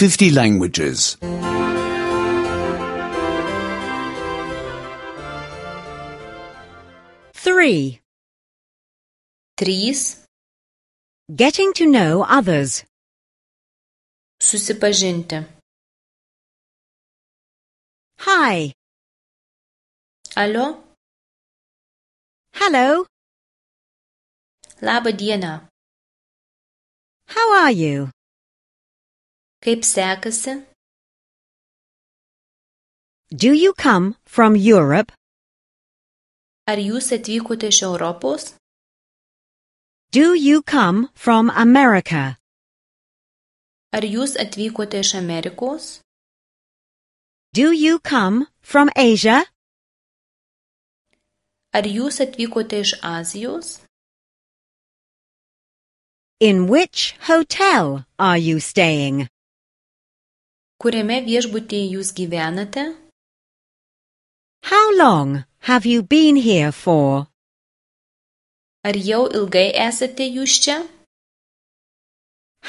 50 languages. 3. 3. Getting to know others. Susipažinti. Hi. Alio, Hello. laba diena. How are you? Kaip sekasi? Do you come from Europe? Ar jūs atvykote iš Europos? Do you come from America? Ar jūs atvykote iš Amerikos? Do you come from Asia? Ar jūs atvykote iš Azijos? In which hotel are you staying? Kuriame viešbutyje jūs gyvenate? How long have you been here for? Ar jau ilgai esate jūs čia?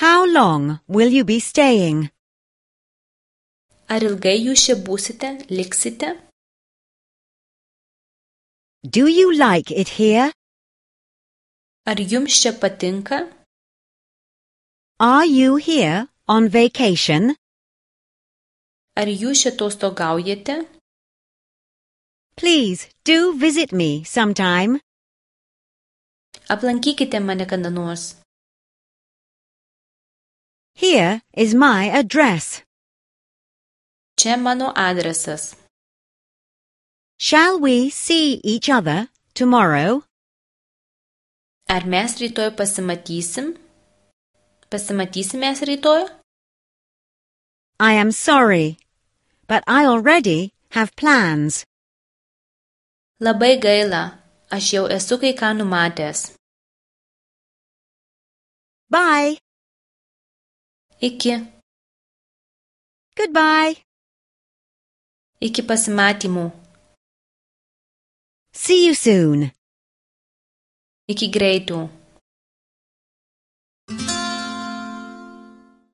How long will you be staying? Ar ilgai jūs čia būsite, liksite? Do you like it here? Ar jums čia patinka? Are you here on vacation? Ar jūs čia atostogaujate? Please do visit me sometime. Aplankykite mane kada nors. Here is my address. Čia mano adresas. Shall we see each other tomorrow? Ar mes rytoj pasimatysim? Pasimatysim mes rytoj? I am sorry, but I already have plans. Labai gaila, aš jau esu kai ką numatęs. Bye. Iki. Goodbye. Iki pasimatymų. See you soon. Iki greitų.